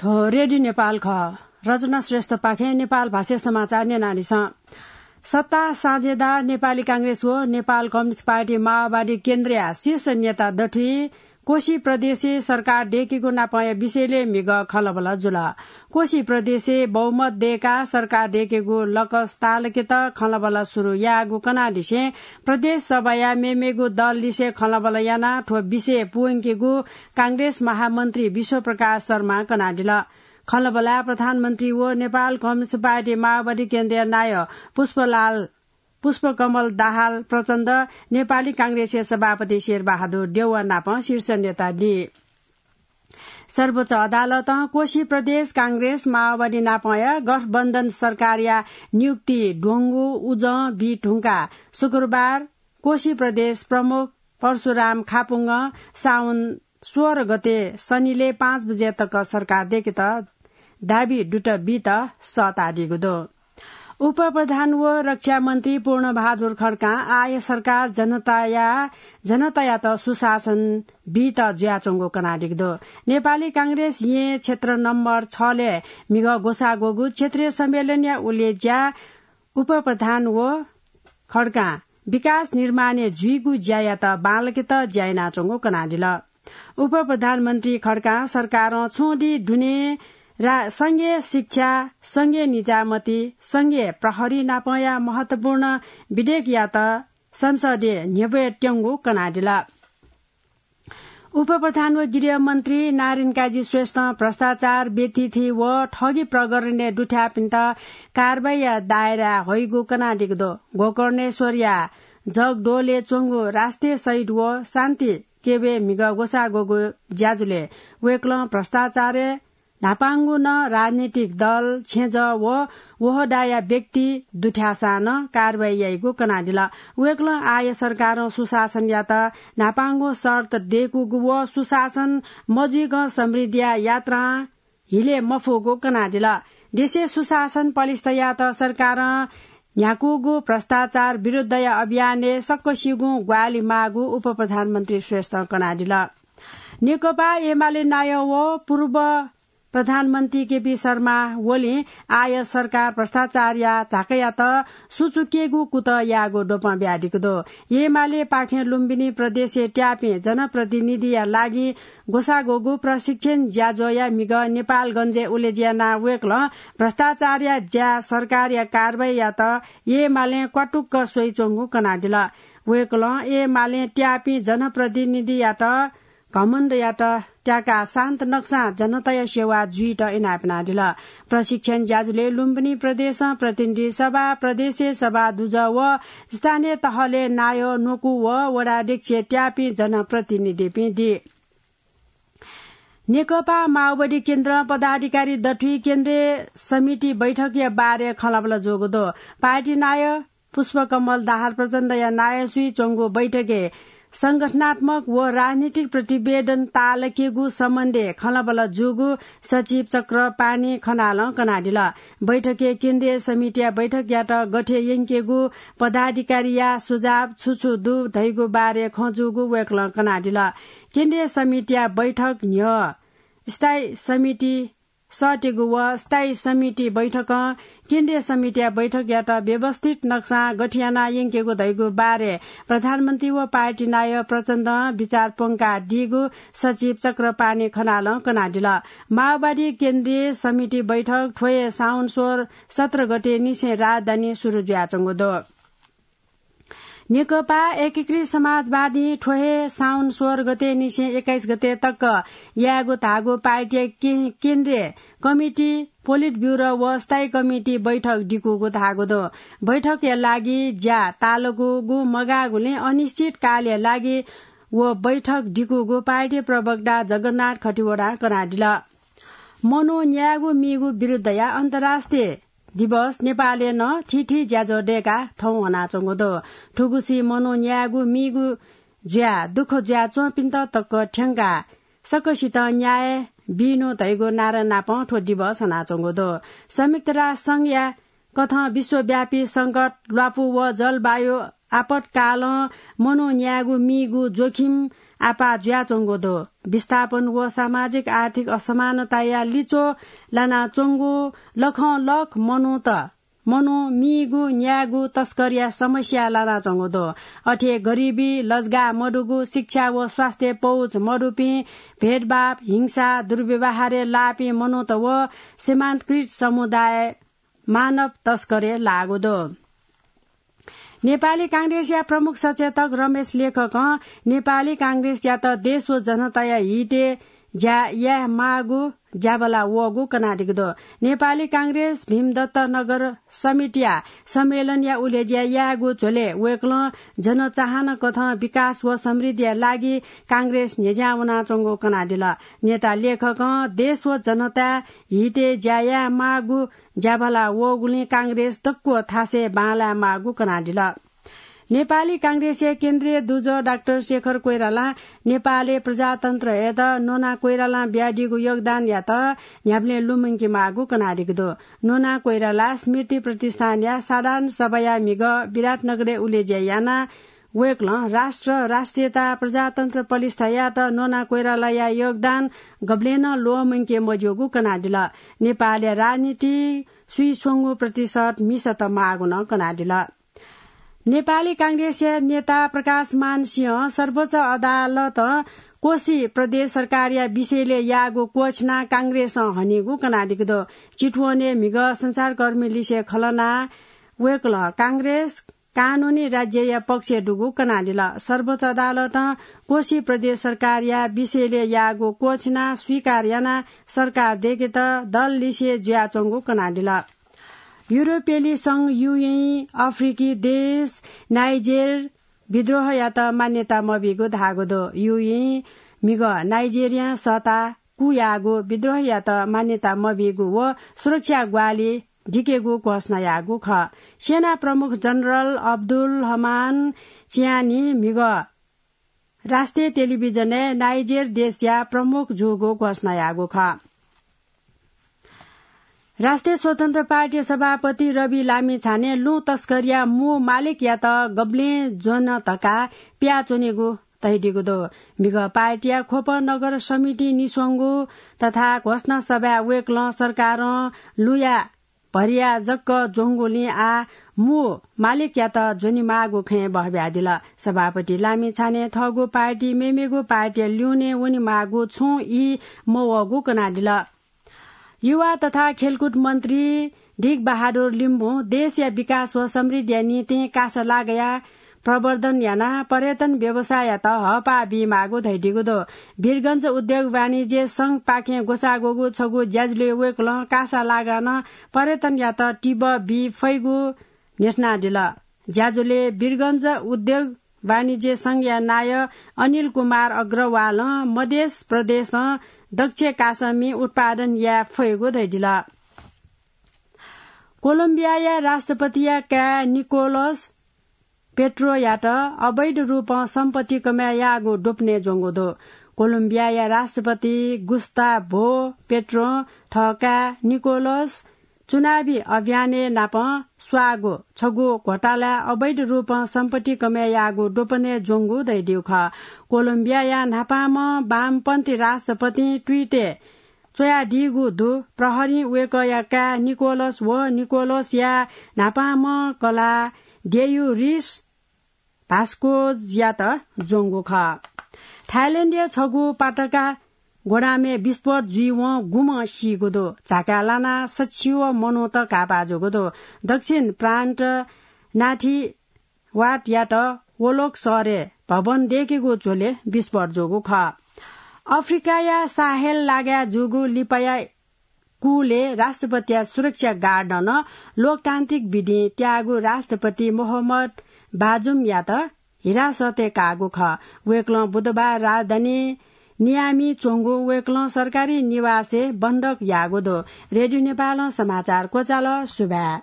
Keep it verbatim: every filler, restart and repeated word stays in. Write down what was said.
थ्व रेडियो नेपाल खः। रचना श्रेष्ठपाखें नेपाल भाषाय् समाचार न्यनादिसँ। सत्ता साझेदार नेपाली कांग्रेस व नेपाल कम्युनिस्ट पार्टी माओवादी केन्द्रया शीर्ष नेता दथुइ कोशी प्रदेशय् सरकार दय्केगु नापंया विषयलय् म्हिगः खँल्हाबल्हा जुल। कोशी प्रदेशय् बहुमत दय्काः सरकार दय्केगु लकस ताःलाकेत खँल्हाबल्हा सुरु याःगु कनादिसें प्रदेश सभाया मेमेगु दललिसे खँल्हाबल्हा यानाः थ्व विषय पूवंकेगु कांग्रेस महामन्त्री विश्वप्रकाश शर्मां कनादिल। खँल्हाबल्हाय् प्रधानमन्त्री व नेपाल कम्युनिस्ट पार्टी माओवादी केन्द्रया नायः पुष्पलाल, पुष्पकमल दाहाल प्रचण्ड, नेपाली कांग्रेसया सभापति शेरबहादुर देउवा नाप शीर्ष नेता दि। सर्वोच्च अदालतं कोशी प्रदेश कांग्रेस माओवादी नापंया गठबन्धन सरकारया नियुक्ति द्वंगु उजं बी धुंकाः शुक्रबार कोशी प्रदेश प्रमुख परशुराम खापुङ्गं साउन सोह्र गते शनिले पाँच बजे तक सरकार दय्केत दाबी दुत बीत सःतादीगु दु। उपप्रधान व रक्षा मन्त्री पूर्णबहादुर खड्कां आः सरकार जनताया, जनतायात सुशासन बीत जुयाच्वंगु कनादीगु दु। नेपाली कांग्रेस येँ क्षेत्र नम्बर छलय् म्हिगः ग्वसाः ग्वःगु क्षेत्रीय सम्मेलनया उलेज्या उपप्रधान व खड्कां विकास निर्माणय् जुइगु ज्यायात बांलाकेत ज्या यानाच्वंगु कनादिल। उपप्रधानमन्त्री खड्कां सरकारं छुं दिं दुने रा-, संघीय शिक्षा, संघीय निजामती, संघीय प्रहरी नापंया महत्वपूर्ण विधेयकयात संसदय् न्ह्यब्वये त्यंगु कनादिल। उपप्रधान व गृहमन्त्री नारायणकाजी श्रेष्ठं भ्रष्टाचार, बेथिति व ठगी प्रकरणय् दुथ्याःपिन्त कारवाहीया दायराय् हइगु कनादीगु दु। गोकर्णेश्वरया जगदोलय् च्वंगु राष्ट्रिय शहीद व शान्ति केबे म्हिगः ग्वसाः ग्वःगु ज्याझ्वलय् वय्कलं भ्रष्टाचारय् न्हापांगु नं राजनीतिक दल, छेँजः व वहदाया व्यक्ति दुथ्याःसां नं कारवाही याइगु कनादिल। वय्कलं आः सरकारं सुशासनयात न्हापांगु शर्त दय्कूगु व सुशासन मजुइकं समृद्धिया यात्रां हिले मफुगु कनादिल। देशय् सुशासन पलिस्था यायेत सरकारं न्ह्याकूगु भ्रष्टाचार विरुद्धया अभियानय् सकसिगुं ग्वाहालि माःगु उपप्रधानमन्त्री श्रेष्ठं कनादिल। नेकपा एमाले नायः व पूर्व प्रधानमन्त्री केपी शर्मा ओलीं आः सरकार भ्रष्टाचारया झाँकायात सुचुकेगु कुतः याःगु द्वपं बियादीगु दु। एमालेपाखें लुम्बिनी प्रदेशय् त्याःपिं जनप्रतिनिधिया लागि ग्वसाः ग्वःगु प्रशिक्षण ज्याझ्वःया म्हिगः नेपालगञ्जय् उलेज्या यानाः वय्कलं भ्रष्टाचारया ज्या, सरकारया कारवाहीयात एमालें क्वातुक्क स्वइच्वंगु कनादिल। वय्कलं एमालें त्याःपिं जनप्रतिनिधियात घमण्डयात त्याकाः शान्त नक्सां जनताया सेवा जुइत इनाप यानादिल। प्रशिक्षण ज्याझ्वलय् लुम्बिनी प्रदेशं प्रतिनिधि सभा, प्रदेशय् सभा दुजः व स्थानीय तहलय् नायः, न्वकू व वडाध्यक्ष त्याःपिं जनप्रतिनिधिपिं दी। नेकपा माओवादी केन्द्रं पदाधिकारी दथुइ केन्द्रीय समिति बैठकया बारे खँल्हाबल्हा जूगु दु। पार्टी नायः पुष्पकमल दाहाल प्रचण्डया नायःसुइ च्वंगु बैठकय् संगठनात्मक व राजनीतिक प्रतिवेदन ताःलाकेगु सम्बन्धय् खँल्हाबल्हा जूगु सचिव चक्रपाणि खनालं कनादिल। बैठकय् केन्द्रीय समितिया बैठकयात गथे यंकेगु, पदाधिकारीया सुझाव छु छु दु धइगु बारे खँ जूगु वय्कलं कनादिल। केन्द्रीय समितिया बैठक न्ह्यः स्थायी समिति सःतेगु व स्थायी समिति बैठकं केन्द्रीय समितिया बैठकयात व्यवस्थित नक्सां गथे यानाः यंकेगु धइगु बारे प्रधानमन्त्री व पार्टी नायः प्रचण्डं विचार प्वंकादीगु सचिव चक्रपाणि खनालं कनादिल। माओवादी केन्द्रीय समिति बैठक थ्व हे साउन सोह्र, सत्र गते निसें राजधानी सुरु जुयाच्वंगु दु। नेकपा एकीकृत समाजवादीं थ्व हे साउन सोह्र गते निसें एक्काइस गते तक यायेगु धाःगु पार्टीया के-, केन्द्रीय कमिटी, पोलिट ब्युरो व स्थायी कमिटी बैठक दिकूगु धाःगु दु। बैठकया लागि ज्या ताःलाकूगु मगाःगुलिं अनिश्चितकालया लागि व बैठक दिकूगु पार्टी प्रवक्ता जगन्नाथ खतिवडां कनादिल। मनू न्यायेगु मीगु विरुद्धया अन्तर्राष्ट्रिय दिवस नेपालय् नं थीथी ज्याझ्वः दय्काः थौं वनाच्वंगु दु। थुगुसी मनू न्यायेगु मीगु ज्या दुःख जुयाच्वंपिन्त तक थ्यंकाः सकसितं न्याय बिनु धइगु नारा नापं थ्व दिवस हनाच्वंगु दु। संयुक्त राष्ट्र संघया कथं विश्वव्यापी संकट, ल्वापु व जलवायु आपतकालं मनू न्यायेगु मीगु जोखिम आपाः जुयाच्वंगु दु। विस्थापन व सामाजिक आर्थिक असमानताया लिच्वः लानाच्वंगु लखं लख मनूत मनू मीगु न्यायेगु तस्करया समस्या लानाच्वंगु दु। अथे गरिबी, लजगाः मदुगु, शिक्षा व स्वास्थ्य पहुँच मदुपिं, भेदभाव, हिंसा, दुर्व्यवहारय् लाःपिं मनूत व सीमान्तकृत समुदाय मानव तस्करय् लाःगु दु। नेपाली कांग्रेसया प्रमुख सचेतक रमेश लेखकं नेपाली कांग्रेसयात देश व जनताया हितय् ज्या याये माःगु ज्याभला वःगु कनादीगु दु। नेपाली कांग्रेस भीमदत्त नगर समितिया सम्मेलनया उलेज्या यायेगु झ्वलय् वय्कलं जनचाहना कथं विकास व समृद्धिया लागि कांग्रेस न्ह्यज्यां वनाच्वंगु कनादिल। नेता लेखकं देश व जनताया हितय् ज्या याये माःगु ज्याभला वःगुलिं कांग्रेस दक्व थासय् बांलाये माःगु कनादिल। नेपाली कांग्रेसया केन्द्रीय दुजः डाक्टर शेखर कोइरालां नेपालय् प्रजातन्त्रयात नोना कोइरालां बियादीगु योगदानयात न्ह्याबलें लुमंके माःगु कनादीगु दु। नोना कोइराला स्मृति प्रतिष्ठानया साधारण सभाया म्हिगः विराटनगरय् उलेज्या यानाः वय्कलं राष्ट्र, राष्ट्रियता, प्रजातन्त्र प्रतिष्ठायात नोना कोइरालाया योगदान गबलें नं ल्वःमंके मज्यूगु कनादिल। नेपालया राजनीति स्वीस्वंगू प्रतिशत मिसात माःगु नं कनादिल। नेपाली कांग्रेसया नेता प्रकाशमान सिंहं सर्वोच्च अदालतं कोशी प्रदेश सरकारया विषयलय् याःगु क्वःछिनाः कांग्रेसं हनीगु कनादीगु दु। चितवनय् म्हिगः सञ्चारकर्मीलिसे खँ ल्हानाः वय्कलं कांग्रेस कानूनी राज्यया पक्षय् दुगु कनादिल। सर्वोच्च अदालतं कोशी प्रदेश सरकारया विषयलय् याःगु क्वःछिनाः स्वीकार यानाः सरकार दय्केत दललिसे जुयाच्वंगु कनादिल। युरोपेली संघ, युएई, अफ्रिकी देश नाइजेर विद्रोहयात मान्यता मबीगु धाःगु दु। युएई म्हिगः नाइजेरियां सःता कू याःगु विद्रोहयात मान्यता मबीगु व सुरक्षा ग्वाहालि दिकेगु घोषणा याःगु खः। सेना प्रमुख जनरल अब्दुल हमान चियानी म्हिगः राष्ट्रिय टेलिभिजनय् नाइजेर देशया प्रमुख जूगु घोषणा याःगु खः। राष्ट्रिय स्वतन्त्र पार्टी सभापति रवि लामिछाने लुँ तस्करीया मू मालिकयात गबलें ज्वन धकाः पियाच्वनेगु धयादीगु दु। म्हिगः पार्टीया ख्वप नगर समिति निस्वंगु तथा घोषणा सभाय् वय्कलं सरकारं लुँया भरिया जक ज्वंगुलिं आः मू मालिकयात ज्वनेमाःगु खँय् बहब्यादिल। सभापति लामिछाने थःगु पार्टी मेमेगु पार्टीया ल्यूने वनेमाःगु छुं ई मवःगु कनादिल। युवा तथा खेलकुद मन्त्री ढिक बहादुर लिम्बुं देशया विकास व समृद्धिया निंतिं कासा लागया प्रवर्धन यानाः पर्यटन व्यवसाययात हःपाः बीमाःगु धयादीगु दु। वीरगंज उद्योग वाणिज्य संघपाखें ग्वसाः ग्वःगु छगू ज्याझ्वलय् वय्कलं कासा लागाः नं पर्यटनयात तिबः बी फइगु न्ह्यथनादिल। ज्याझ्वलय् वीरगंज उद्योग वाणिज्य संघया नायः अनिल कुमार अग्रवालं मधेस प्रदेशं दक्ष कासा मि उत्पादन याये फइगु धयादिल। कोलम्बियाया राष्ट्रपतिया काय् निकोलस पेट्रोयात अवैध रूपं सम्पत्ति कमय् याःगु द्वपनय् ज्वंगु दु। कोलम्बियाया राष्ट्रपति गुस्ताभो पेट्रों थः काय् निकोलस चुनावी अभियानय् नापं स्वाःगु छगू घोटालाय् अवैध रूपं सम्पत्ति कमय् याःगु द्वपनय् ज्वंगु धयादीगु खः। कोलम्बियाया न्हापांम्ह वामपन्थी राष्ट्रपतिं ट्विटय् च्वयादीगु दु। प्रहरीं वय्कःया काय् निकोलस व निकोलसया न्हापांम्ह कलाः डेयुरिस भास्कोजयात ज्वंगु खः। थाइल्याण्डया छगू पाटका गोदामय् विस्फोट जुइवं गुम्ह सीगु दु। झाकाय् लानाः सच्छि व मनूत घाःपाः जूगु दु। दक्षिण प्रान्त नाथिवाटयात वोलोक शहरय् भवन दय्केगु झ्वलय् विस्फोट जूगु खः। अफ्रिकाया साहेल लागाय् जूगु लिपाया कुलय् राष्ट्रपतिया सुरक्षा गार्डं नं लोकतान्त्रिक विधिं त्याःगु राष्ट्रपति मोहम्मद बाजुमयात हिरासतय् काःगु खः। वय्कलं बुधबार राजधानी नियामी च्वंगु वय्कलं सरकारी निवासय् बन्धक याःगु दु। रेडियो नेपालं समाचार क्वचाल। सुभाय्।